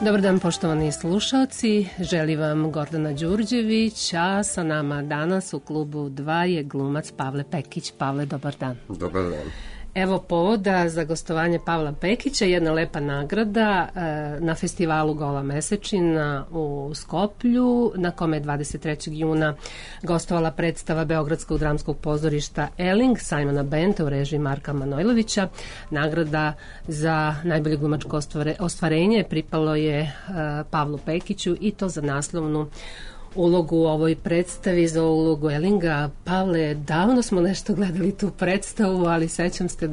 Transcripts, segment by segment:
Dobar dan, poštovani slušalci, želi vam Gordana Đurđević, a sa nama danas u klubu 2 je glumac Pavle Pekić. Pavle, dobar dan. Dobar dan. Evo povoda za gostovanje Pavla Pekića, jedna lepa nagrada na festivalu Gola mesečina u Skoplju, na kome je 23. juna gostovala predstava Beogradskog dramskog pozorišta Eling Simona Benta u režiji Marka Manojlovića. Nagrada za najbolje glumačko ostvarenje pripalo je Pavlu Pekiću i to za naslovnu ulogu u ovoj predstavi, za ulogu Elinga. Pavle, davno smo nešto gledali tu predstavu, ali sećam se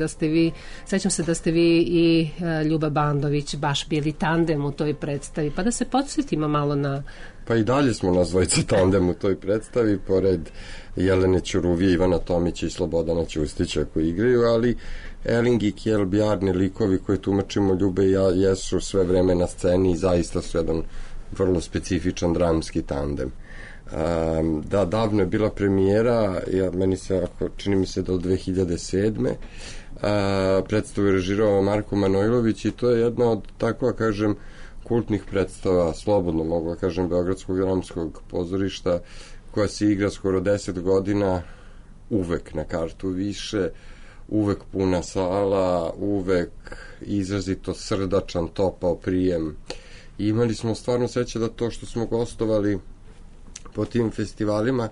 da ste vi i Ljuba Bandović baš bili tandem u toj predstavi, pa da se podsjetimo malo na... Pa i dalje smo nas dvojica tandem u toj predstavi, pored Jelene Ćuruvije, Ivana Tomića i Slobodana Ćustića koji igraju, ali Eling i Kjell Bjarni, likovi koje tumačimo Ljube i ja, jesu sve vreme na sceni i zaista su jedan vrlo specifičan dramski tandem. Da, davno je bila premijera, čini mi se da od 2007. Predstavu je režirao Marko Manojlović i to je jedna od, tako kažem, kultnih predstava, slobodno mogu da kažem, Beogradskog dramskog pozorišta, koja se igra skoro 10 godina, uvek na kartu više, uvek puna sala, uvek izrazito srdačan, topao prijem. I imali smo stvarno sreće da to što smo gostovali po tim festivalima,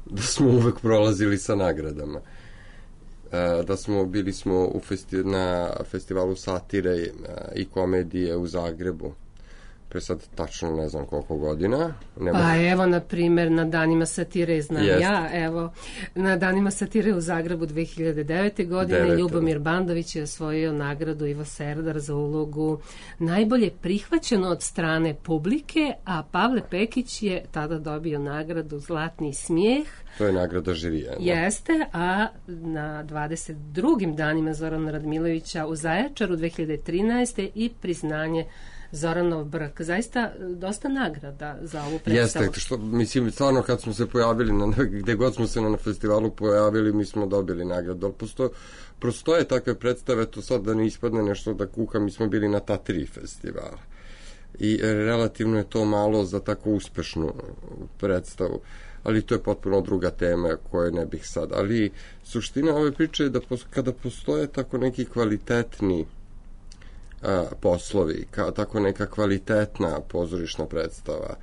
da smo uvek prolazili sa nagradama. Bili smo na festivalu satire i komedije u Zagrebu. Pre sad tačno ne znam koliko godina. Evo, na primjer, na Danima satire na Danima satire u Zagrebu 2009. godine Ljubomir Bandović je osvojio nagradu Ivo Serdar za ulogu najbolje prihvaćeno od strane publike, a Pavle Pekić je tada dobio nagradu Zlatni smijeh. To je nagrada žirija. Jeste, a na 22. danima Zorana Radmilovića u Zaječaru 2013. i priznanje Zoranov brk. Zaista dosta nagrada za ovu predstavu. Jeste, mislim, stvarno kad smo se pojavili, gde god smo se na festivalu pojavili, mi smo dobili nagradu. Ali prostoje takve predstave, to sad da ne ispadne nešto da kuka, mi smo bili na ta 3 festivala. I relativno je to malo za tako uspešnu predstavu. Ali to je potpuno druga tema koje ne bih sad. Ali suština ove priče je da kada postoje tako neki kvalitetni poslovi, tako neka kvalitetna pozorišna predstava,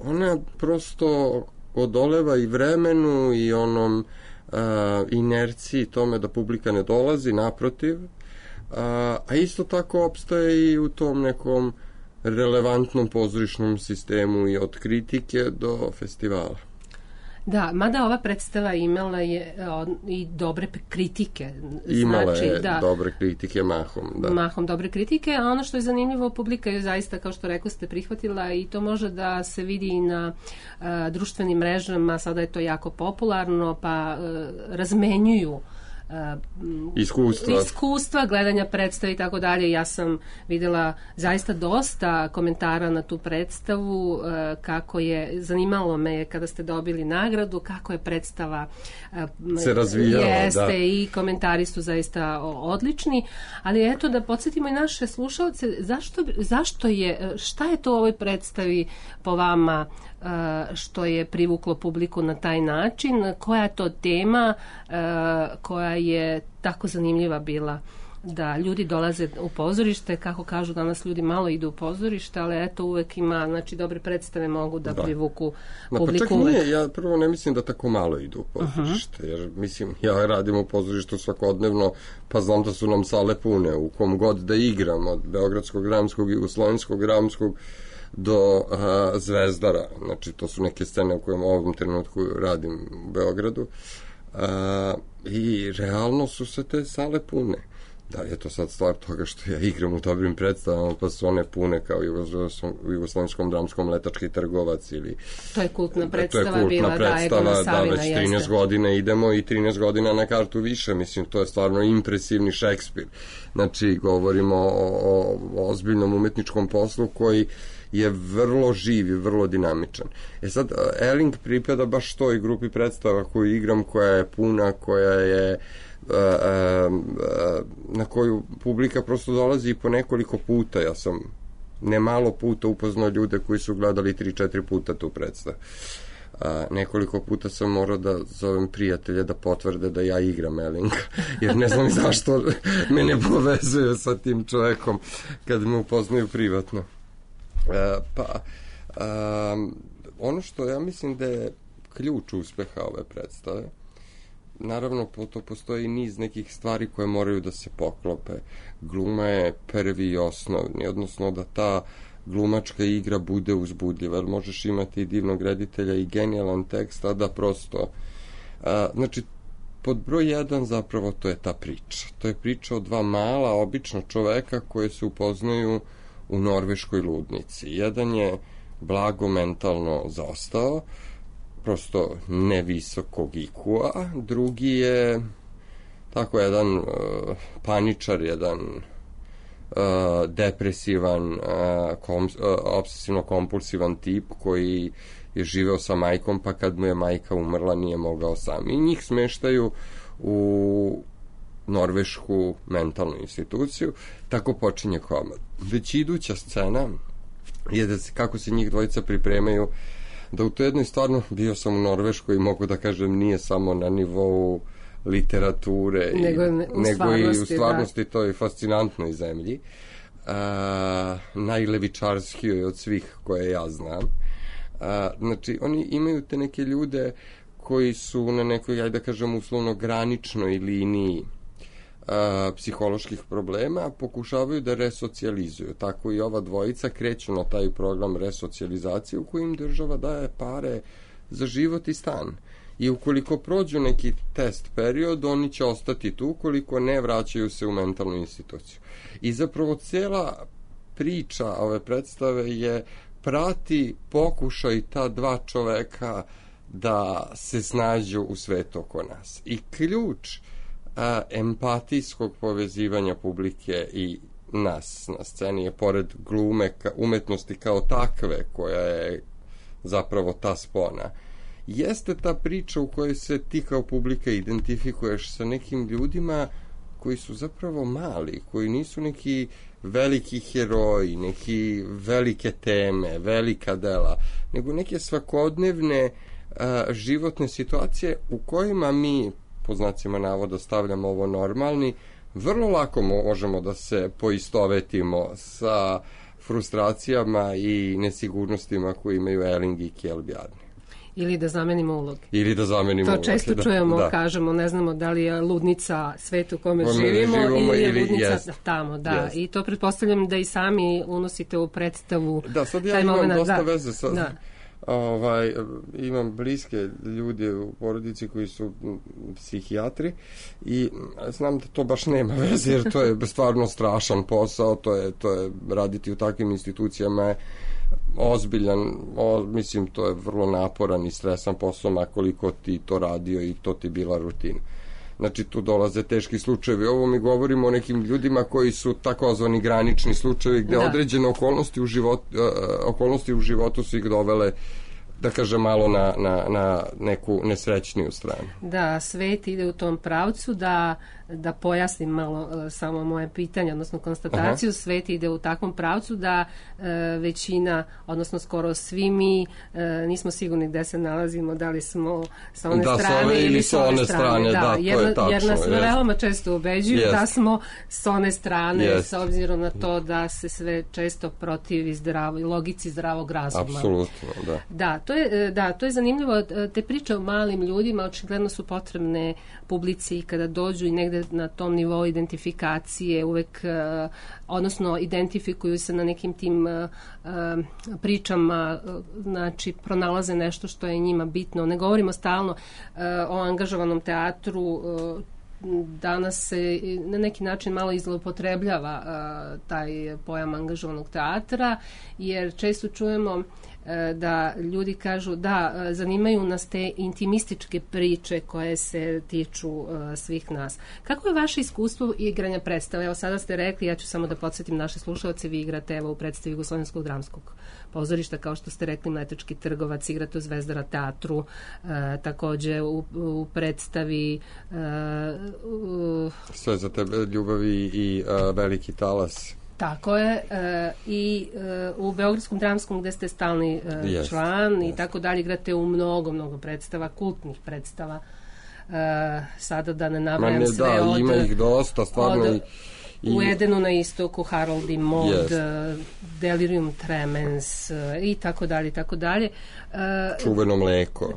ona prosto odoleva i vremenu i onom inerciji tome da publika ne dolazi, naprotiv, a isto tako opstaje i u tom nekom relevantnom pozorišnom sistemu i od kritike do festivala. Da, mada ova predstava imala je i dobre kritike. Imala je dobre kritike mahom. Da. Mahom dobre kritike, a ono što je zanimljivo, publika je zaista, kao što rekao ste, prihvatila i to može da se vidi i na društvenim mrežama, sada je to jako popularno, pa razmenjuju iskustva gledanja predstave i tako dalje. Ja sam videla zaista dosta komentara na tu predstavu, kako je, zanimalo me kada ste dobili nagradu, kako je predstava se razvijala. Jeste, i komentari su zaista odlični, ali eto da podsjetimo i naše slušalce, šta je to u ovoj predstavi po vama što je privuklo publiku na taj način, koja je to tema koja je tako zanimljiva bila da ljudi dolaze u pozorište, kako kažu danas ljudi malo idu u pozorište, ali eto uvek ima, znači dobre predstave mogu da privuku publiku. Pa čak nije, ja prvo ne mislim da tako malo idu u pozorište, jer mislim, ja radim u pozorištu svakodnevno, pa znam da su nam sale pune, u kom god da igram, od Beogradskog dramskog, Jugoslovenskog dramskog do Zvezdara, znači to su neke scene u kojem u ovom trenutku radim u Beogradu, i realno su se te sale pune. Da li je to sad stvar toga što ja igram u dobrim predstavama, pa su one pune kao u Jugoslovenskom dramskom Letački trgovac ili... To je kultna predstava bila, da, već 13 godina idemo i 13 godina na kartu više, mislim, to je stvarno impresivni Šekspir. Znači, govorimo o ozbiljnom umetničkom poslu koji je vrlo živ i vrlo dinamičan. Sad, Eling pripada baš toj grupi predstava koju igram, koja je puna, koja je na koju publika prosto dolazi po nekoliko puta. Ja sam nemalo puta upoznao ljude koji su gledali 3-4 puta tu predstavu. Nekoliko puta sam morao da zovem prijatelje da potvrde da ja igram Ellinga, jer ne znam zašto me ne povezuju sa tim čovekom kad me upoznaju privatno. Ono što ja mislim da je ključ uspeha ove predstave, naravno to postoji niz nekih stvari koje moraju da se poklope. Gluma je prvi i osnovni, odnosno da ta glumačka igra bude uzbudljiva, jer možeš imati i divnog reditelja i genijalan tekst, a da prosto znači pod broj 1 zapravo to je ta priča. To je priča o dva mala obična čoveka koje se upoznaju u norveškoj ludnici. Jedan je blago mentalno zaostao, prosto nevisokog IQ-a, drugi je tako jedan paničar, jedan depresivan, obsesivno-kompulsivan tip koji je živeo sa majkom, pa kad mu je majka umrla nije mogao sam. I njih smeštaju u norvešku mentalnu instituciju. Tako počinje komad. Već iduća scena je da se, kako se njih dvojica pripremaju da u to jednoj, stvarno bio sam u Norveškoj i mogu da kažem nije samo na nivou literature nego i u stvarnosti da. To je fascinantnoj zemlji, najlevičarskijoj od svih koje ja znam. Znači oni imaju te neke ljude koji su na nekoj, ajde da kažem, uslovno graničnoj liniji psiholoških problema, pokušavaju da resocijalizuju. Tako i ova dvojica kreću na taj program resocijalizacije u kojim država daje pare za život i stan. I ukoliko prođu neki test period, oni će ostati tu, ukoliko ne, vraćaju se u mentalnu instituciju. I zapravo cela priča ove predstave je prati pokušaj ta dva čoveka da se snađu u svetu oko nas. I ključ empatijskog povezivanja publike i nas na sceni je, pored glume, umetnosti kao takve, koja je zapravo ta spona, jeste ta priča u kojoj se ti kao publika identifikuješ sa nekim ljudima koji su zapravo mali, koji nisu neki veliki heroji, neki velike teme, velika dela, nego neke svakodnevne životne situacije u kojima mi, po znacima navoda, stavljamo ovo normalni, vrlo lako možemo da se poistovetimo sa frustracijama i nesigurnostima koje imaju Elling i Kjell-Bjarne. Ili da zamenimo uloge. To često čujemo, kažemo, ne znamo da li je ludnica svet u kome živimo ili je ludnica tamo, da. Jest. I to pretpostavljam da i sami unosite u predstavu. Da, sad ja imam dosta veze sa... Da. Imam bliske ljude u porodici koji su psihijatri i znam da to baš nema veze, jer to je stvarno strašan posao, to je raditi u takvim institucijama je ozbiljan, mislim, to je vrlo naporan i stresan posao, a koliko ti to radio i to ti bila rutina. Znači, tu dolaze teški slučajevi. Ovo mi govorimo o nekim ljudima koji su takozvani granični slučajevi, gde određene okolnosti u životu su ih dovele, da kažem, malo na neku nesrećniju stranu. Da, svet ide u tom pravcu, da pojasnim malo samo moje pitanje, odnosno konstataciju. Svet ide u takvom pravcu da većina, odnosno skoro svi mi nismo sigurni gde se nalazimo, da li smo sa one strane ili sa one strane. Da, jer nas veoma često ubeđuju da smo sa one strane, s obzirom na to da se sve često protivi logici zdravog razuma. Apsolutno, da. To je zanimljivo. Te priče o malim ljudima očigledno su potrebne publici kada dođu i negde na tom nivou identifikacije uvek, odnosno identifikuju se na nekim tim pričama, znači pronalaze nešto što je njima bitno. Ne govorimo stalno o angažovanom teatru, danas se na neki način malo izlopotrebljava taj pojam angažovanog teatra, jer često čujemo da ljudi kažu da zanimaju nas te intimističke priče koje se tiču svih nas. Kako je vaše iskustvo igranja predstave? Evo sada ste rekli, ja ću samo da podsjetim naše slušalce, vi igrate u predstavi Jugoslovenskog dramskog pozorišta, kao što ste rekli, Mletački trgovac, igrate u Zvezdara teatru, takođe u predstavi Sve za tebe ljubavi i Veliki talas. Tako je, i u Beogradskom dramskom gde ste stalni član i tako dalje, igrate u mnogo predstava, kultnih predstava. Sada da ne nabrajam sve ima ih dosta, stvarno. U Edenu na istoku, Harold i Maud, Delirium Tremens i tako dalje.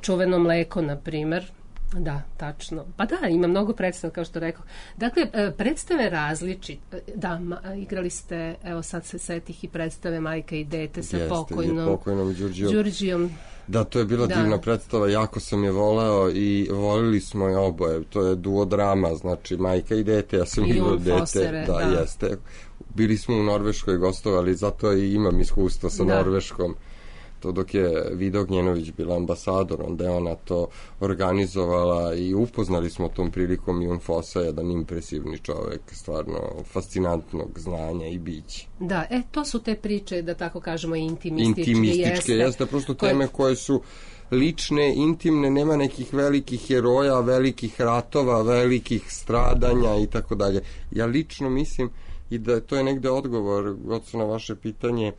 Čuveno mleko, na primer. Da, tačno. Pa da, ima mnogo predstava, kao što rekao. Dakle, predstave različite. Da, igrali ste, evo sad se setih i predstave Majka i dete sa pokojnom Đurđijom. Da, to je bila divna predstava, jako sam je voleo i volili smo je oboje. To je duodrama, znači Majka i dete, ja sam igrao dete. Fosere, da, jeste. Bili smo u Norveškoj gostovali, zato i imam iskustvo sa Norveškom. To dok je Vida Gnjenović bila ambasador, onda je ona to organizovala i upoznali smo tom prilikom Jon Fossa, jedan impresivni čovek, stvarno fascinantnog znanja i bića. Da, to su te priče, da tako kažemo, intimističke, jeste prosto teme koje su lične, intimne, nema nekih velikih heroja, velikih ratova, velikih stradanja i tako dalje. Ja lično mislim i da to je negde odgovor, Goco, na vaše pitanje,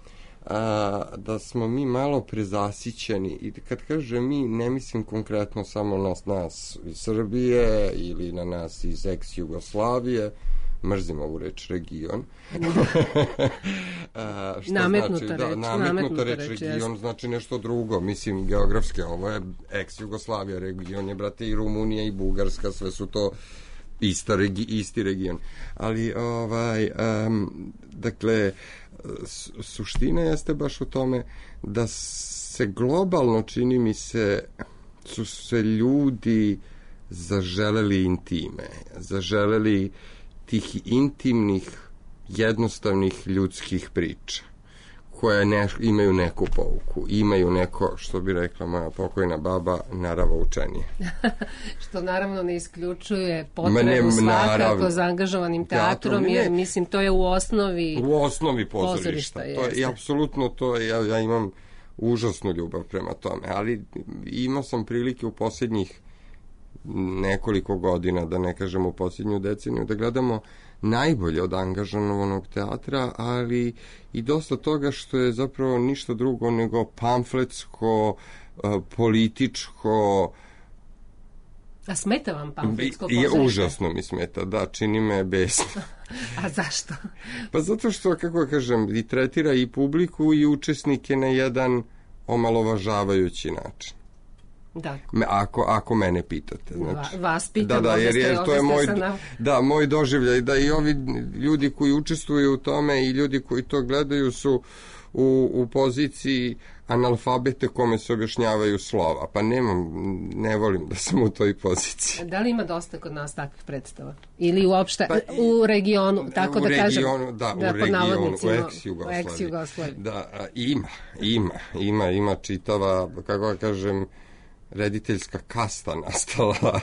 da smo mi malo prezasićeni, i kad kažem mi, ne mislim konkretno samo na nas iz Srbije ili na nas iz ex-Jugoslavije, mrzim ovu reč region. Nametnuta reč region znači nešto drugo, mislim geografske, ovo je ex-Jugoslavija, region je, brate, i Rumunija i Bugarska, sve su to isti region. Ali, dakle, suština jeste baš u tome da se globalno, čini mi se, su se ljudi zaželeli intime, zaželeli tih intimnih, jednostavnih ljudskih priča koje imaju neku pouku, imaju neko, što bi rekla moja pokojna baba, naravoučenije. Što naravno ne isključuje potrebu svakako za angažovanim teatrom, jer mislim to je u osnovi pozorišta. I apsolutno to, ja imam užasnu ljubav prema tome, ali imao sam prilike u posljednjih nekoliko godina, da ne kažem u posljednju deceniju, da gledamo najbolje od angažovanog teatra, ali i dosta toga što je zapravo ništa drugo nego pamfletsko, političko. A smeta vam pamfletsko pozorište? Užasno mi smeta, da, čini me besno. A zašto? Pa zato što, kako kažem, i tretira i publiku i učesnike na jedan omalovažavajući način. Da. Ako mene pitate. Znači, vas pitam, jer to je moj doživljaj, da i ovi ljudi koji učestvuju u tome i ljudi koji to gledaju su u poziciji analfabete kome se objašnjavaju slova. Pa ne volim da sam u toj poziciji. Da li ima dosta kod nas takvih predstava? Ili uopšte u regionu, tako da kažem? U ex-Jugoslaviji. Da, ima čitava, kako da kažem, rediteljska kasta nastala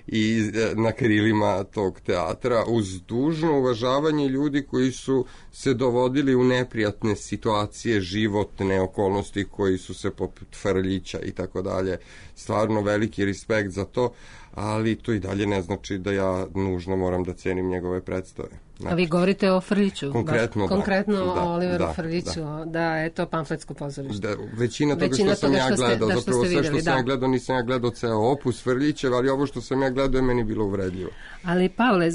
i na krilima tog teatra, uz dužno uvažavanje ljudi koji su se dovodili u neprijatne situacije, životne okolnosti, koji su se poput Frljića i tako dalje. Stvarno veliki respekt za to, ali to i dalje ne znači da ja nužno moram da cenim njegove predstave. Znači, a vi govorite o Frljiću? Konkretno o Oliveru Frljiću, da je to pamfletsko pozorište. Većina toga što sam ja gledao, zapravo sve što sam ja gledao, nisam ja gledao ceo opus Frljićev, ali ovo što sam ja gledao je meni bilo uvredljivo. Ali Pavle,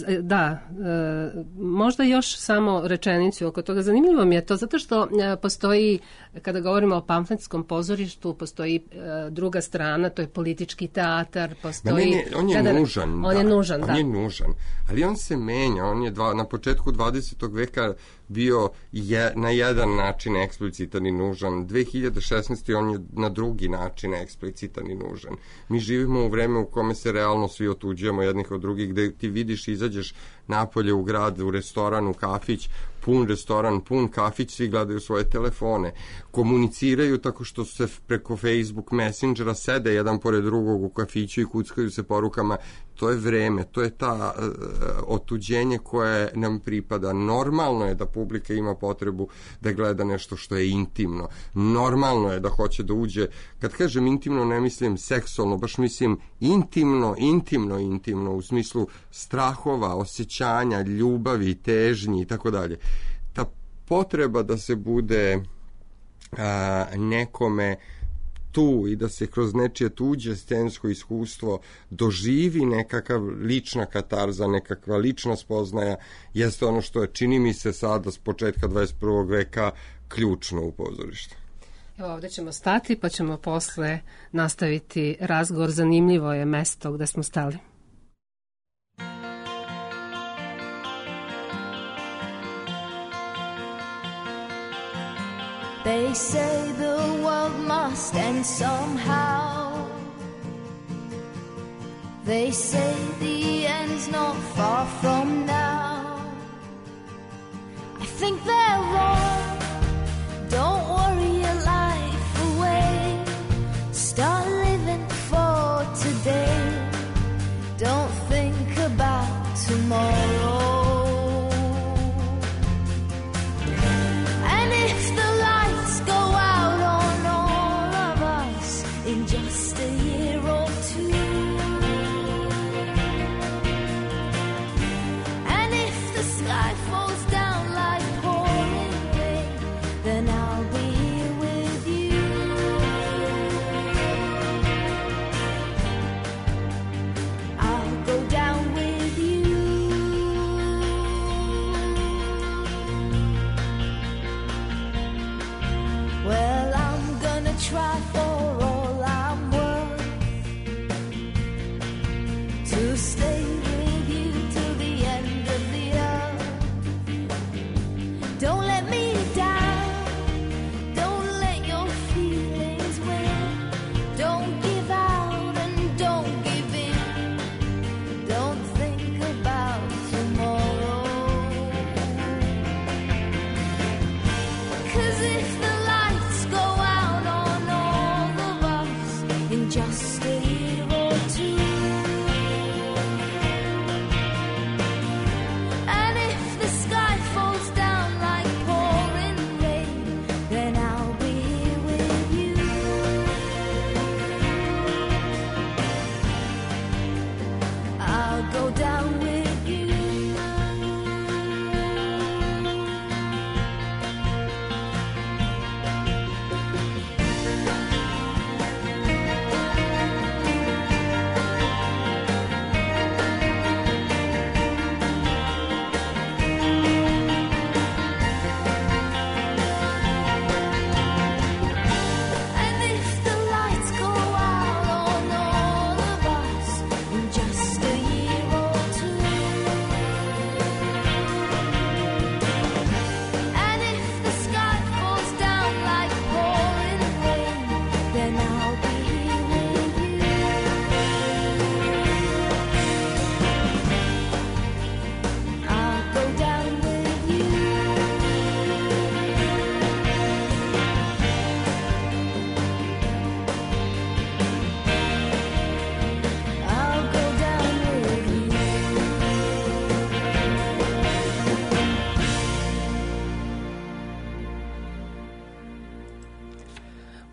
možda još samo rečenicu oko toga. Zanimljivo mi je to, zato što postoji, kada govorimo o pamfletskom pozorištu, postoji druga strana, to je politički teatar, postoji... On je nužan, ali on se menja, on je na početku 20. veka bio na jedan način eksplicitan i nužan. 2016. on je na drugi način eksplicitan i nužan. Mi živimo u vreme u kome se realno svi otuđujemo jednih od drugih, gde ti vidiš, izađeš napolje u grad, u restoran, u kafić, pun restoran, pun kafić, svi gledaju svoje telefone, komuniciraju tako što se preko Facebook Messengera sede jedan pored drugog u kafiću i kuckaju se porukama. To je vreme, to je ta otuđenje koje nam pripada. Normalno je da publika ima potrebu da gleda nešto što je intimno. Normalno je da hoće da uđe, kad kažem intimno ne mislim seksualno, baš mislim intimno u smislu strahova, osjećanja, ljubavi, težnji i tako dalje. Ta potreba da se bude nekome tu i da se kroz nečije tuđe scensko iskustvo doživi nekakav lična katarza, nekakva lična spoznaja, jeste ono što je, čini mi se sada s početka 21. veka ključno u pozorištu. Evo, ovdje ćemo stati pa ćemo posle nastaviti razgovor. Zanimljivo je mesto gde smo stali. They say the world must end somehow. They say the end's not far from now. I think they're wrong. Don't worry your life away. Start living for today. Don't think about tomorrow.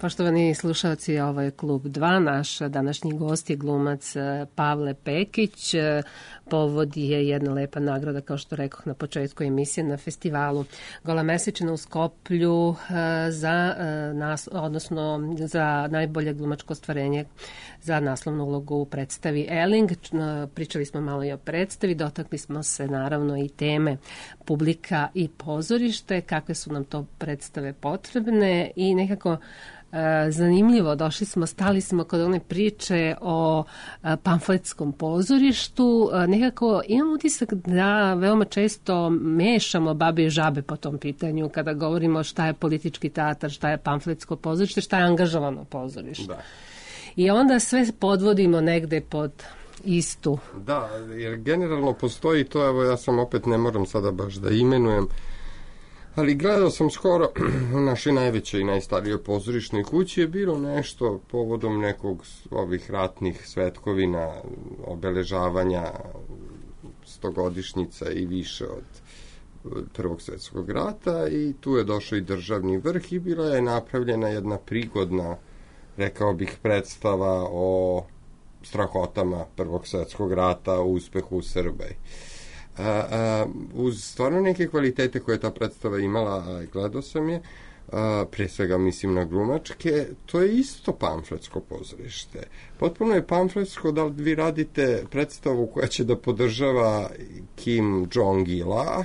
Poštovani slušalci, ovo je Klub 2. Naš današnji gost je glumac Pavle Pekić. Povod je jedna lepa nagrada, kao što rekoh na početku emisije, na festivalu Gola Mesečina u Skoplju za najbolje glumačko ostvarenje za naslovnu ulogu u predstavi Eling. Pričali smo malo i o predstavi, dotakli smo se naravno i teme publika i pozorište, kakve su nam to predstave potrebne i nekako zanimljivo, stali smo kod one priče o pamfletskom pozorištu. Nekako imam utisak da veoma često mešamo babe i žabe po tom pitanju kada govorimo šta je politički teatar, šta je pamfletsko pozorište, šta je angažovano pozorište. Da. I onda sve podvodimo negde pod istu. Da, jer generalno postoji to, evo ja sam opet ne moram sada baš da imenujem, ali gledao sam skoro u našoj najvećoj i najstarijoj pozorišnoj kući je bilo nešto povodom nekog ovih ratnih svetkovina, obeležavanja 100-godišnjica i više od Prvog svjetskog rata i tu je došao i državni vrh i bila je napravljena jedna prigodna, rekao bih, predstava o strahotama Prvog svjetskog rata, o uspehu u Srbiji. Uz stvarno neke kvalitete koje ta predstava imala, gledao sam je, pre svega mislim na glumačke, to je isto pamfletsko pozorište. Potpuno je pamfletsko da li vi radite predstavu koja će da podržava Kim Jong-ila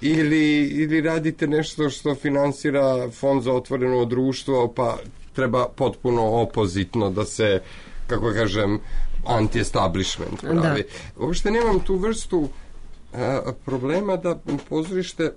ili radite nešto što finansira Fond za otvoreno društvo, pa treba potpuno opozitno da se, kako kažem, anti-establishment pravi. Uopšte nemam tu vrstu problema da pozorište,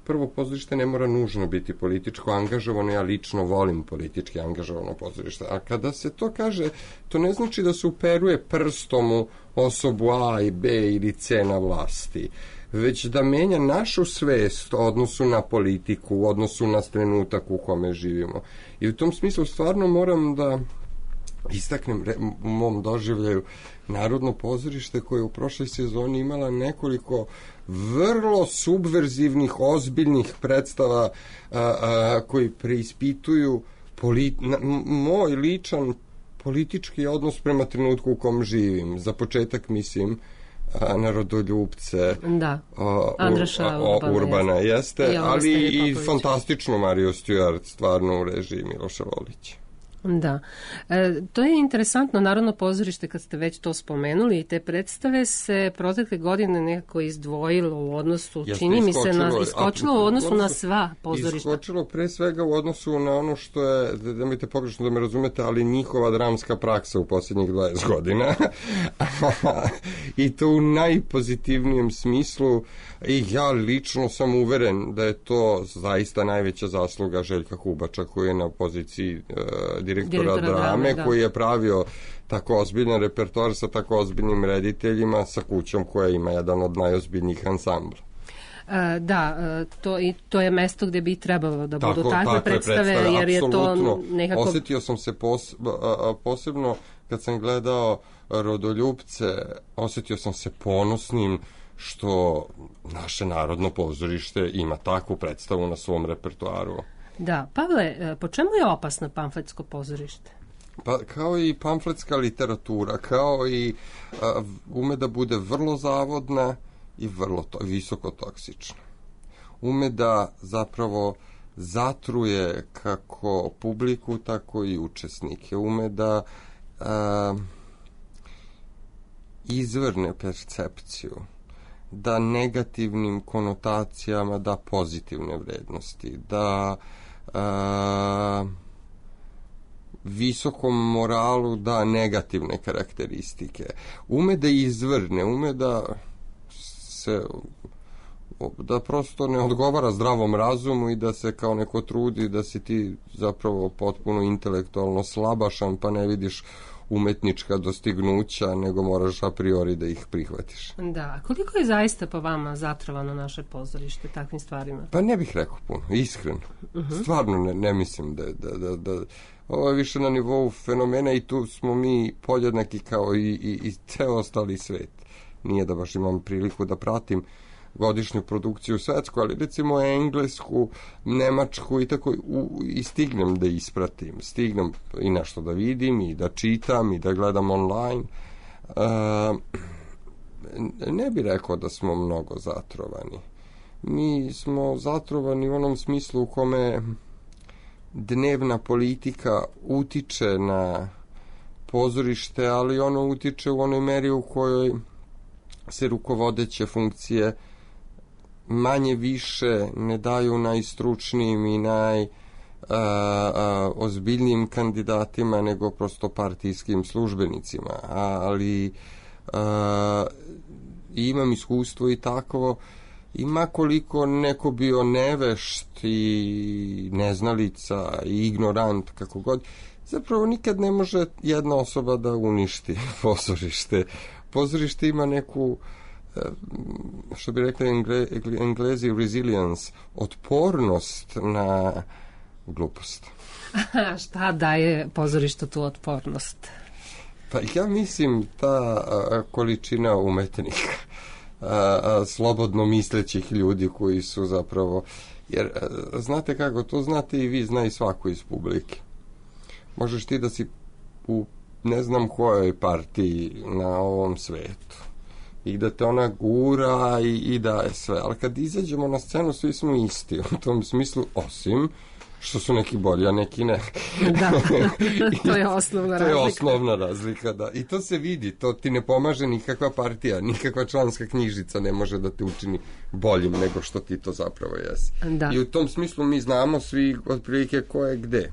prvo pozorište ne mora nužno biti političko angažovano, ja lično volim politički angažovano pozorište, a kada se to kaže, to ne znači da se uperuje prstom u osobu A i B ili C na vlasti, već da menja našu svest u odnosu na politiku, u odnosu na trenutak u kome živimo. I u tom smislu stvarno moram da istaknem u mom doživljaju Narodno pozorište koje u prošloj sezoni imala nekoliko vrlo subverzivnih, ozbiljnih predstava koji preispituju moj ličan politički odnos prema trenutku u kom živim. Za početak mislim na Rodoljupce, Andraša Urbana jeste, ali i fantastičnu Mariju Stewart stvarno u režiji Miloša Volića. Da. To je interesantno, Narodno pozorište, kad ste već to spomenuli, i te predstave se protekle godine nekako izdvojilo u odnosu, čini mi se, iskočilo u odnosu na sva pozorišta. Iskočilo pre svega u odnosu na ono što je, da mi te pogrešno da me razumete, ali njihova dramska praksa u posljednjih 20 godina. I to u najpozitivnijem smislu. I ja lično sam uveren da je to zaista najveća zasluga Željka Hubača, koji je na poziciji direktora drame, koji je pravio tako ozbiljan repertoar sa tako ozbiljnim rediteljima, sa kućom koja ima jedan od najozbiljnijih ansambla. To je mesto gdje bi trebalo da budu takve predstave, jer je to nekako... Osjetio sam se posebno kad sam gledao Rodoljupce, osjetio sam se ponosnim što naše Narodno pozorište ima takvu predstavu na svom repertoaru. Da, Pavle, po čemu je opasno pamfletsko pozorište? Pa kao i pamfletska literatura, kao i ume da bude vrlo zavodna i vrlo visoko toksična. Ume da zapravo zatruje kako publiku, tako i učesnike. Ume da izvrne percepciju, da negativnim konotacijama da pozitivne vrednosti, da visokom moralu da negativne karakteristike. Ume da izvrne, ume da se da prosto ne odgovara zdravom razumu i da se kao neko trudi da si ti zapravo potpuno intelektualno slabašan pa ne vidiš umetnička dostignuća, nego moraš a priori da ih prihvatiš. Da, koliko je zaista po vama zatrovano naše pozorište takvim stvarima? Pa ne bih rekao puno, iskreno. Stvarno ne mislim da ovo je više na nivou fenomena i tu smo mi podjednaki kao i ceo ostali svet. Nije da baš imam priliku da pratim godišnju produkciju svetsku, ali recimo englesku, nemačku i tako i stignem da ispratim. Stignem i nešto da vidim i da čitam i da gledam online. Ne bih rekao da smo mnogo zatrovani. Mi smo zatrovani u onom smislu u kome dnevna politika utiče na pozorište, ali ono utiče u onoj meri u kojoj se rukovodeće funkcije manje više ne daju najstručnijim i ozbiljnijim kandidatima nego prosto partijskim službenicima, ali imam iskustvo i takvo i makoliko neko bio nevešt i neznalica i ignorant, kako god, zapravo nikad ne može jedna osoba da uništi pozorište. Pozorište ima neku, što bi rekli Englezi, resilience, otpornost na glupost. Šta daje pozorištu tu otpornost? Pa ja mislim ta količina umetnika, slobodno mislećih ljudi koji su zapravo, jer znate kako, to znate i vi, zna i svako iz publike. Možeš ti da si u ne znam kojoj partiji na ovom svetu. i da te ona gura i da je sve. Ali kad izađemo na scenu, svi smo isti u tom smislu, osim što su neki bolji, a neki ne. Da, to je osnovna razlika. To je osnovna razlika, da. I to se vidi, to ti ne pomaže nikakva partija, nikakva članska knjižica ne može da te učini boljim nego što ti to zapravo jesi. Da. I u tom smislu mi znamo svi otprilike ko je gde.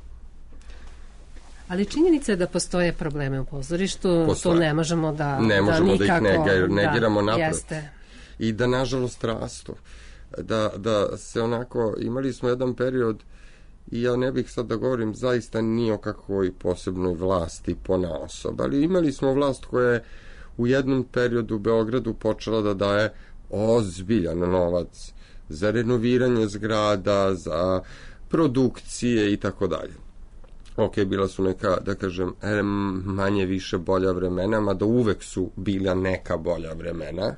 Ali činjenica je da postoje probleme u pozorištu, to ne možemo da nikako, da ih negiramo naprotiv. Jeste. I da nažalost rastu. Da se onako, imali smo jedan period, i ja ne bih sad da govorim zaista ni o kakvoj posebnoj vlasti ponaosob, ali imali smo vlast koja je u jednom periodu u Beogradu počela da daje ozbiljan novac za renoviranje zgrada, za produkcije i tako dalje. Ok, bila su neka, da kažem, manje više bolja vremena, mada uvek su bila neka bolja vremena,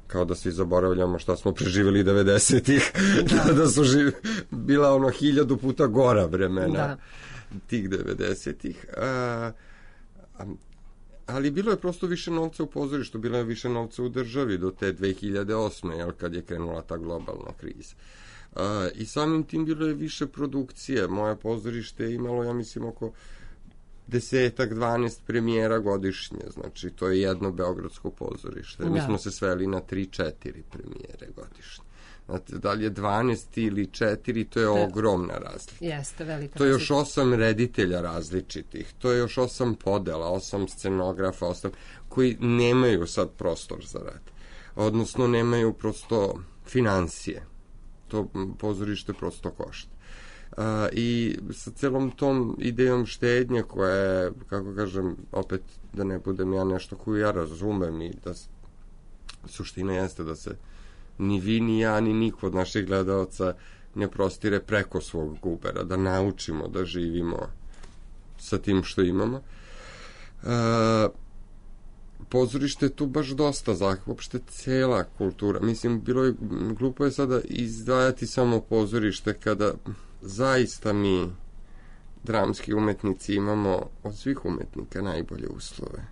kao da svi zaboravljamo šta smo preživjeli 90-ih, da su bila 1000 puta gora vremena tih 90-ih. Ali bilo je prosto više novca u pozorištu, bilo je više novca u državi do te 2008. Kad je krenula ta globalna kriza. I samim tim bilo je više produkcije. Moje pozorište je imalo, ja mislim, oko 10-12 premijera godišnje, znači to je jedno beogradsko pozorište. Mi smo se sveli na 3-4 premijere godišnje. Znate, da li je 12 ili 4, to je ogromna razlika. Jeste, velika razlika. To je još 8 reditelja različitih, to je još 8 podela, 8 scenografa, 8 koji nemaju sad prostor za rad. Odnosno, nemaju prosto financije. To pozorište prosto košta. I sa celom tom idejom štednje koja je, kako kažem, opet da ne budem ja nešto koju ja razumem i da suština jeste da se ni vi, ni ja, ni niko od naših gledalaca ne prostire preko svog gubera, da naučimo da živimo sa tim što imamo. Pozorište je tu baš dosta uopšte cela kultura. Mislim, glupo je sada izdvajati samo pozorište kada zaista mi, dramski umetnici, imamo od svih umetnika najbolje uslove.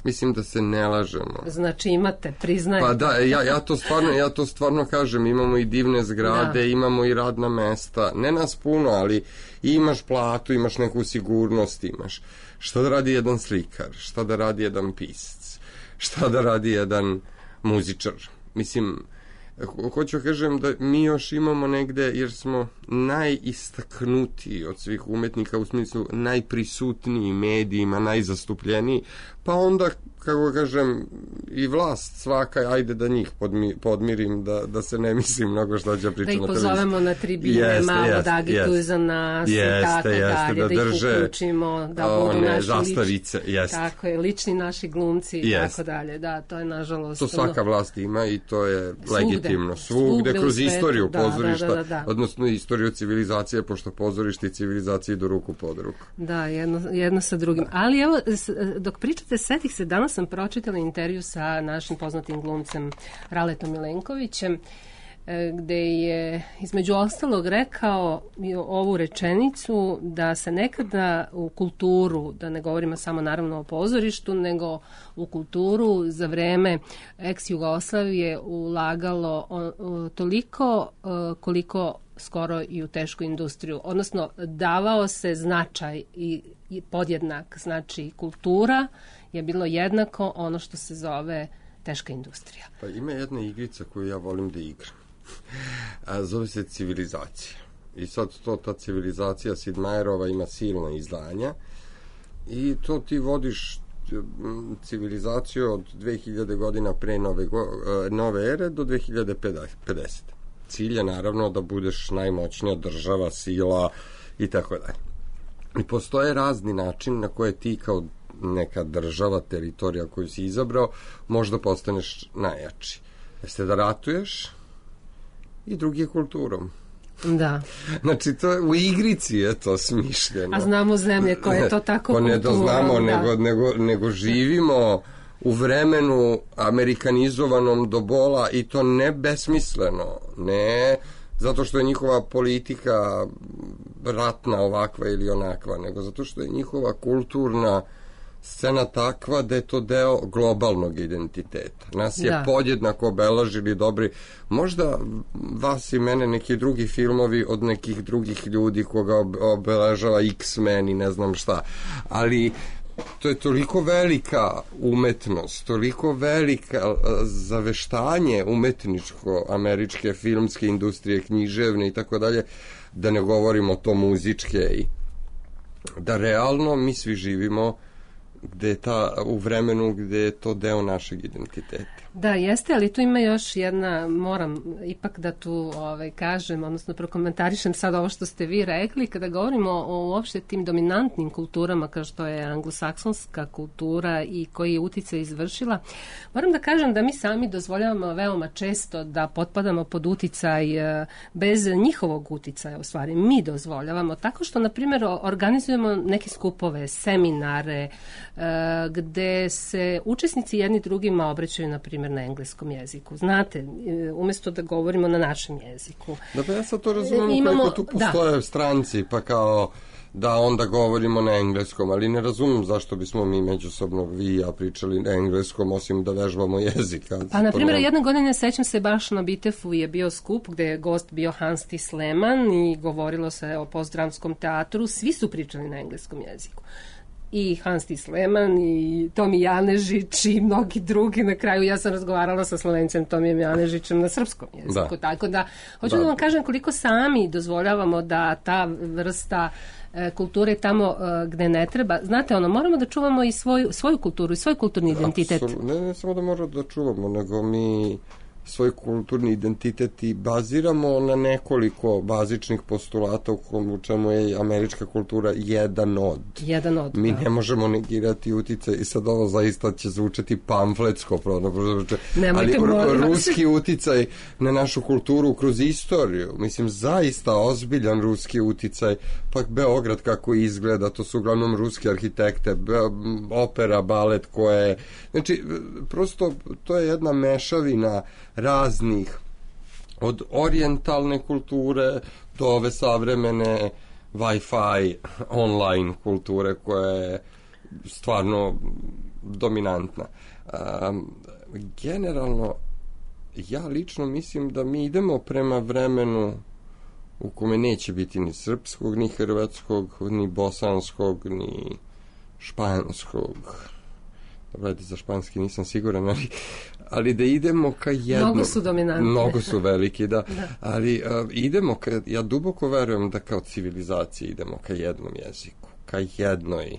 Mislim da se ne lažemo. Znači imate, priznajte. Pa da, ja to stvarno kažem, imamo i divne zgrade, imamo i radna mesta, ne nas puno, ali imaš platu, imaš neku sigurnost, imaš. Šta da radi jedan slikar, šta da radi jedan pisac, šta da radi jedan muzičar. Mislim, hoću kažem da mi još imamo negde, jer smo najistaknutiji od svih umetnika, u smislu najprisutniji medijima, najzastupljeniji, pa onda, kako kažem, i vlast svaka, ajde da njih podmirim, da se ne mislim mnogo što će pričati na televiziji. Da ih pozovemo na tribine, malo da agituju za nas i tako dalje, da ih uključimo, da budu naši zastavice, tako je, lični naši glumci i tako dalje. Da, to je nažalost. To svaka vlast ima i to je legitimno. Svugde kroz istoriju pozorišta, odnosno istoriju civilizacije, pošto pozorište i civilizacije idu ruku pod ruku. Da, jedno sa drugim. Ali evo, dok pričate, setih se, danas sam pročitala intervju sa našim poznatim glumcem Raletom Milenkovićem, gde je između ostalog rekao ovu rečenicu da se nekada u kulturu, da ne govorimo samo naravno o pozorištu, nego u kulturu za vreme ex-Jugoslavije ulagalo toliko koliko skoro i u tešku industriju. Odnosno, davao se značaj i podjednak, znači kultura je bilo jednako ono što se zove teška industrija. Pa ima jedna igrica koju ja volim da igram. Zove se Civilizacija. I sad ta Civilizacija Sidmajerova ima silna izdanja i to ti vodiš civilizaciju od 2000 godina pre nove ere do 2050. Cilj je naravno da budeš najmoćnija država, sila i tako dalje. I postoje razni način na koje ti kao neka država, teritorija koju si izabrao, možda postaneš najjači. Jeste da ratuješ i drugi je kulturom. Da. Znači, u igrici je to smišljeno. A znamo zemlje koje to tako kultura. Ne da znamo, nego živimo u vremenu amerikanizovanom do bola i to ne besmisleno, ne zato što je njihova politika ratna ovakva ili onakva, nego zato što je njihova kulturna scena takva da je to deo globalnog identiteta. Nas je podjednako obeležili dobri, možda vas i mene neki drugi filmovi od nekih drugih ljudi koga obeležava X-Men i ne znam šta, ali to je toliko velika umetnost, toliko velika zaveštanje umetničko američke filmske industrije, književne i tako dalje, da ne govorimo to muzičke, i da realno mi svi živimo gde je u vremenu gde je to deo našeg identiteta. Da, jeste, ali tu ima još jedna, moram ipak da tu kažem, odnosno prokomentarišem sad ovo što ste vi rekli, kada govorimo o uopšte tim dominantnim kulturama kao što je anglosaksonska kultura i koji je uticaj izvršila, moram da kažem da mi sami dozvoljavamo veoma često da potpadamo pod uticaj bez njihovog uticaja, u stvari mi dozvoljavamo, tako što, na primjer, organizujemo neke skupove, seminare, gde se učesnici jedni drugima obraćaju, na primjer, na engleskom jeziku. Znate, umjesto da govorimo na našem jeziku. Da, pa ja sad to razumijem koliko tu postoje stranci, pa kao da onda govorimo na engleskom, ali ne razumem zašto bismo mi međusobno, vi i ja, pričali na engleskom, osim da vežbamo jezik. Pa, na primjer, jedne godine, sećam se, baš na Bitefu je bio skup gde je gost bio Hans T. Sleman i govorilo se o postdramskom teatru, svi su pričali na engleskom jeziku. I Hans T. Sleman i Tomi Janežić i mnogi drugi. Na kraju ja sam razgovarala sa Slovencem Tomijem Janežićem na srpskom jeziku. Tako da, hoću da vam kažem koliko sami dozvoljavamo da ta vrsta kulture tamo gde ne treba. Znate, moramo da čuvamo i svoju kulturu i svoj kulturni identitet. Ne samo da moramo da čuvamo, nego mi svoj kulturni identitet i baziramo na nekoliko bazičnih postulata u čemu je američka kultura jedan od. Mi ne možemo negirati uticaj, i sad ovo zaista će zvučati pamfletsko, ali ruski uticaj na našu kulturu kroz istoriju, mislim, zaista ozbiljan ruski uticaj, pa Beograd kako izgleda, to su uglavnom ruski arhitekte, opera, balet, koje, znači, prosto to je jedna mešavina raznih, od orijentalne kulture do ove savremene Wi-Fi online kulture koja je stvarno dominantna. Generalno, ja lično mislim da mi idemo prema vremenu u kome neće biti ni srpskog, ni hrvatskog, ni bosanskog, ni španskog. Dobro, za španski nisam siguran, ali da idemo ka jednom. Mnogo su dominantni. Mnogo su veliki, da. Ali idemo, ja duboko verujem da kao civilizacija idemo ka jednom jeziku, ka jednoj.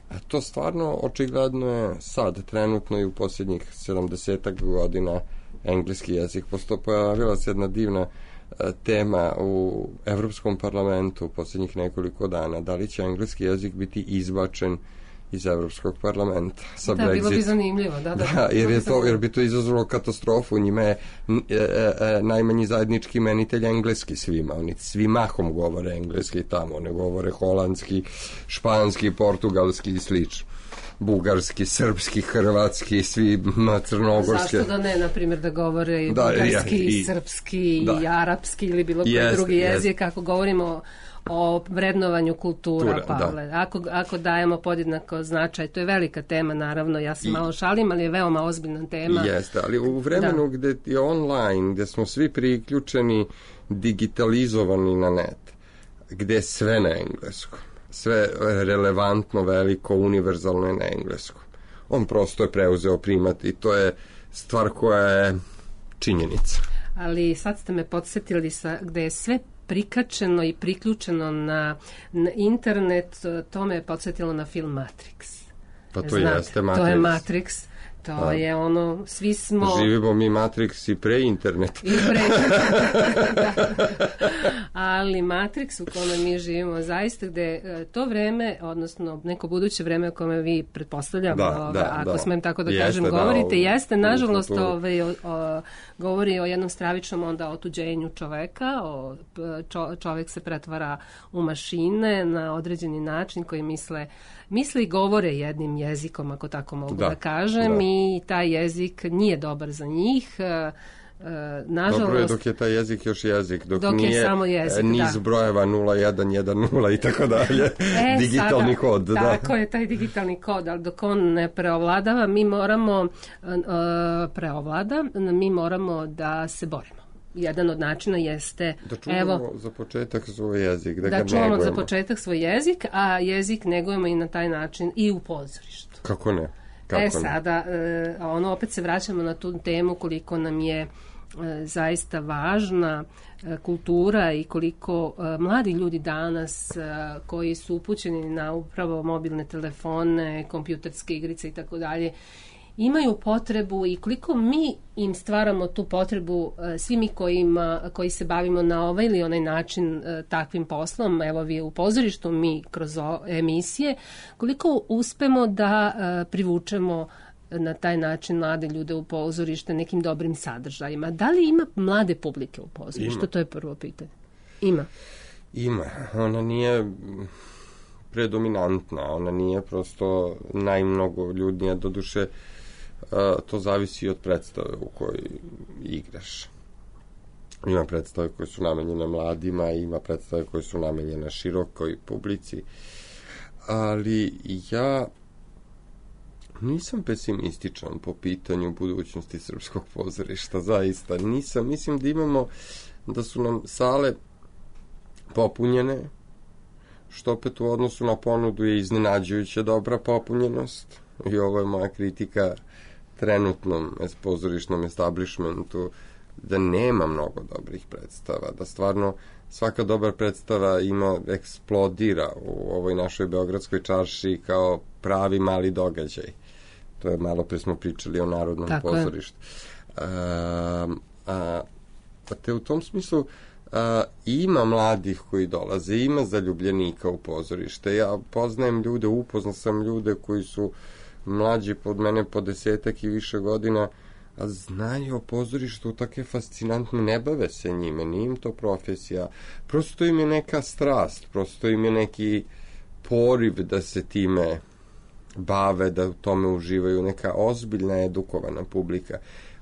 A to stvarno očigledno je sad, trenutno i u posljednjih 70 godina engleski jezik. Pojavila se jedna divna tema u Evropskom parlamentu u posljednjih nekoliko dana. Da li će engleski jezik biti izbačen iz Evropskog parlamenta sa Brexit. Bilo bi zanimljivo, da. Jer bi to izazvalo katastrofu. Njima je najmanji zajednički imenitelj engleski svima. Oni svi mahom govore engleski tamo. Ne govore holandski, španski, portugalski i slično. Bugarski, srpski, hrvatski, svi crnogorski. Zašto da ne, na primjer, da govore i bugarski, i srpski, i arapski ili bilo koji drugi jezik, ako govorimo o vrednovanju kultura, Pavle. Ako dajemo podjednako značaj, to je velika tema, naravno, ja se malo šalim, ali je veoma ozbiljna tema. Jeste, ali u vremenu gde je online, gde smo svi priključeni, digitalizovani na net, gde je sve na engleskom, sve relevantno, veliko, univerzalno je na engleskom. On prosto je preuzeo primat i to je stvar koja je činjenica. Ali sad ste me podsjetili gde je sve prikačeno i priključeno na internet, to me je podsjetilo na film Matrix. Pa to jeste Matrix. To je Matrix. To je svi smo... Živimo mi Matrix i pre internet. Ali Matrix u kome mi živimo, zaista gde to vreme, odnosno neko buduće vreme o kome vi pretpostavljamo, ako smem tako da kažem, govorite, jeste, nažalost, govori o jednom stravičnom onda otuđenju čoveka, čovek se pretvara u mašine na određeni način koji misle i govore jednim jezikom, ako tako mogu da kažem, i taj jezik nije dobar za njih. nažalost... Dobro je dok je taj jezik još jezik, dok nije je samo jezik, niz brojeva 0110 i tako dalje, digitalni kod. Tako je, taj digitalni kod, ali dok on ne preovladava, mi moramo da se borimo. Jedan od načina jeste... Da čuvamo za početak svoj jezik, da ga negujemo. Da čuvamo za početak svoj jezik, a jezik negujemo i na taj način i u pozorištu. Kako ne? Sada, opet se vraćamo na tu temu koliko nam je zaista važna kultura i koliko mladi ljudi danas koji su upućeni na upravo mobilne telefone, kompjuterske igrice i tako dalje, imaju potrebu i koliko mi im stvaramo tu potrebu, svi mi koji se bavimo na ovaj ili onaj način takvim poslom, evo vi u pozorištu, mi kroz emisije, koliko uspemo da privučemo na taj način mlade ljude u pozorište nekim dobrim sadržajima. Da li ima mlade publike u pozorištu? To je prvo pitanje. Ima. Ona nije predominantna, ona nije prosto najmnogo ljudnija, doduše to zavisi od predstave u kojoj igraš. Ima predstave koje su namenjene mladima, ima predstave koje su namenjene širokoj publici, ali ja nisam pesimističan po pitanju budućnosti srpskog pozorišta, zaista nisam. Mislim da su nam sale popunjene, što opet u odnosu na ponudu je iznenađujuće dobra popunjenost, i ovo je moja kritika trenutnom pozorišnom establishmentu, da nema mnogo dobrih predstava, da stvarno svaka dobra predstava eksplodira u ovoj našoj beogradskoj čarši kao pravi mali događaj. To je, malo pre smo pričali o Narodnom pozorištu. Te u tom smislu ima mladih koji dolaze, ima zaljubljenika u pozorište. Ja poznajem ljude, upoznao sam ljude koji su mlađi pod mene po 10 i više godina, a znaju o pozorištu tako fascinantno, ne bave se njime, nije im to profesija, prosto im je neka strast, prosto im je neki poriv da se time bave, da u tome uživaju, neka ozbiljna edukovana publika.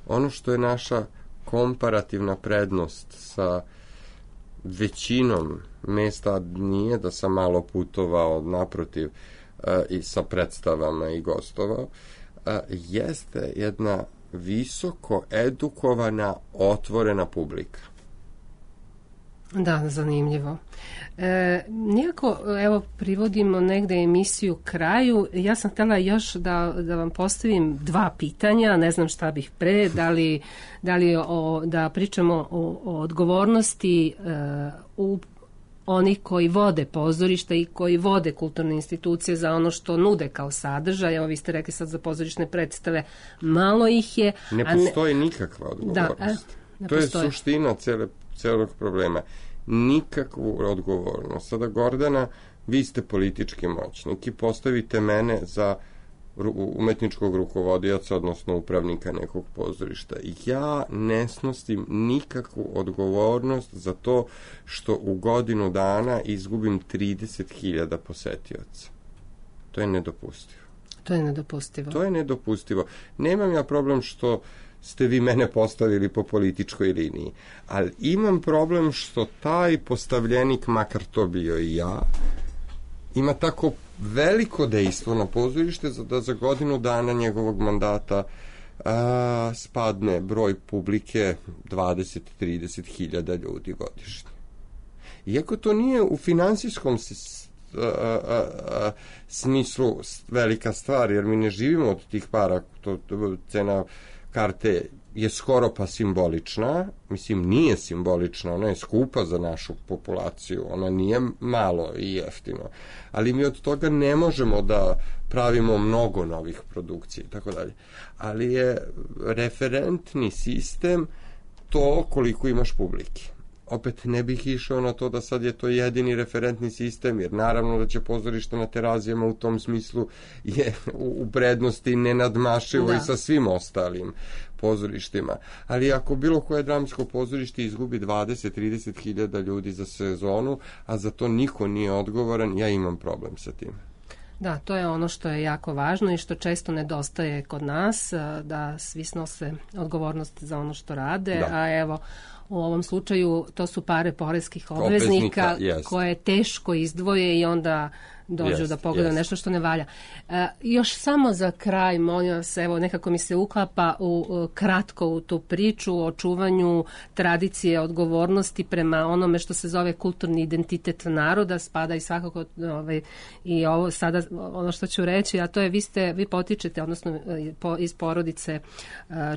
Ono što je naša komparativna prednost sa većinom mesta, nije da sam malo putovao, naprotiv, i sa predstavama i gostovao, jeste jedna visoko edukovana, otvorena publika. Da, zanimljivo. Nijako, evo, privodimo negde emisiju kraju. Ja sam htjela još da vam postavim 2 pitanja, ne znam šta bih pre, da pričamo o odgovornosti u oni koji vode pozorišta i koji vode kulturne institucije za ono što nude kao sadržaj. Evo, vi ste rekli sad za pozorišne predstave, malo ih je. Ne postoji nikakva odgovornost. To je suština celog problema. Nikakvu odgovornost. Sada, Gordana, vi ste politički moćnik i postavite mene za umetničkog rukovodioca, odnosno upravnika nekog pozorišta. Ja ne snosim nikakvu odgovornost za to što u godinu dana izgubim 30.000 posetioca. To je nedopustivo. To je nedopustivo. Nemam ja problem što ste vi mene postavili po političkoj liniji, ali imam problem što taj postavljenik, makar to bio i ja, ima tako veliko dejstvo na pozorište da za godinu dana njegovog mandata spadne broj publike 20-30 hiljada ljudi godišnje. Iako to nije u finansijskom smislu velika stvar, jer mi ne živimo od tih para, cena karte je skoro pa simbolična, mislim nije simbolična, ona je skupa za našu populaciju, ona nije malo i jeftino, ali mi od toga ne možemo da pravimo mnogo novih produkcija i tako dalje. Ali je referentni sistem to koliko imaš publike. Opet ne bih išao na to da sad je to jedini referentni sistem, jer naravno da će pozorište na Terazijama u tom smislu je u prednosti nenadmašivo i sa svim ostalim pozorištima. Ali ako bilo koje dramsko pozorište izgubi 20-30 hiljada ljudi za sezonu, a za to niko nije odgovoran, ja imam problem sa tim. Da, to je ono što je jako važno i što često nedostaje kod nas, da svi snose odgovornost za ono što rade, a evo, u ovom slučaju to su pare poreskih obveznika koje teško izdvoje i onda dođu da pogledaju nešto što ne valja. Još samo za kraj, molim vas, evo, nekako mi se uklapa kratko u tu priču o čuvanju tradicije, odgovornosti prema onome što se zove kulturni identitet naroda, spada i svakako i ovo sada, ono što ću reći, a to je vi potičete, odnosno iz porodice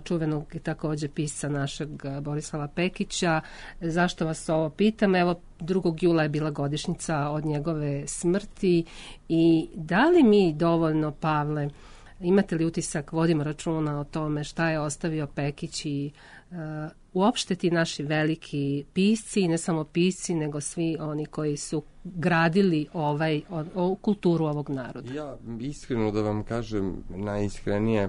čuvenog takođe pisca našeg Borislava Pekića. Zašto vas ovo pitam? Evo, 2. jula je bila godišnjica od njegove smrti i da li mi dovoljno, Pavle, imate li utisak, vodimo računa o tome šta je ostavio Pekić i uopšte ti naši veliki pisci, i ne samo pisci, nego svi oni koji su gradili kulturu ovog naroda? Ja iskreno da vam kažem, najiskrenije,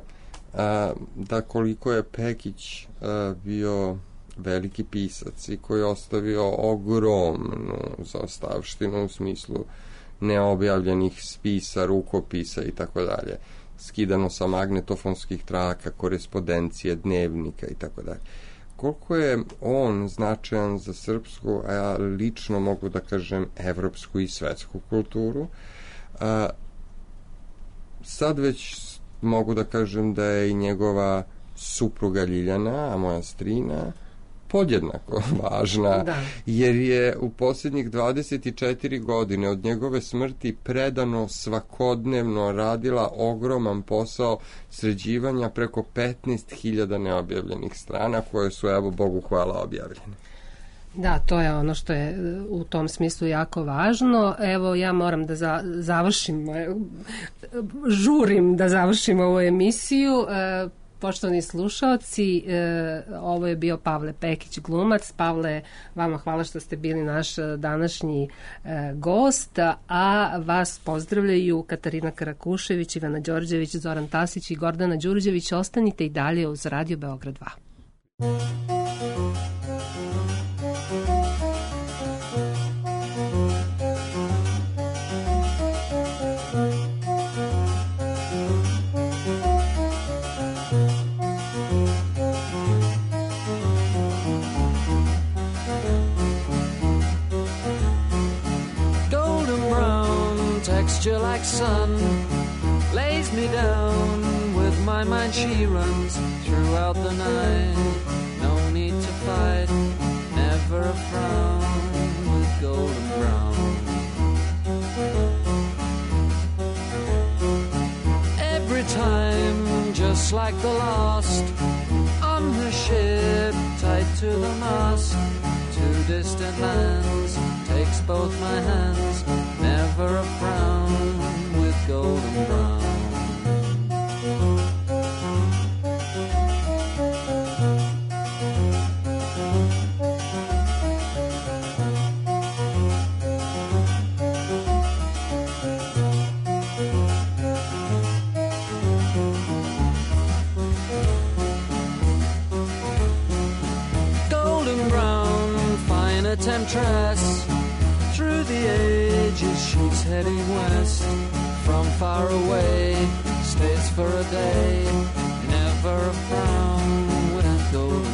da koliko je Pekić bio veliki pisac i koji je ostavio ogromnu zaostavštinu u smislu neobjavljenih spisa, rukopisa i tako dalje, skidano sa magnetofonskih traka, korespondencije, dnevnika i tako dalje. Koliko je on značajan za srpsku, a ja lično mogu da kažem evropsku i svetsku kulturu, sad već mogu da kažem da je i njegova supruga Ljiljana, a moja strina, podjednako važna, jer je u posljednjih 24 godine od njegove smrti predano svakodnevno radila ogroman posao sređivanja preko 15.000 neobjavljenih strana koje su, evo, Bogu hvala, objavljene. Da, to je ono što je u tom smislu jako važno. Evo, ja moram da završim, žurim da završim ovu emisiju. Poštovani slušaoci, ovo je bio Pavle Pekić, glumac. Pavle, vama hvala što ste bili naš današnji gost, a vas pozdravljaju Katarina Karakušević, Ivana Đorđević, Zoran Tasić i Gordana Đurđević. Ostanite i dalje uz Radio Beograd 2. Like sun lays me down with my mind, she runs throughout the night. No need to fight, never a frown with golden brown. Every time, just like the last, on her ship tied to the mast, to distant lands, takes both my hands, never a frown with golden brown. Golden brown, fine a temptress, through the ages she's heading west. From far away, stays for a day, never a frown with golden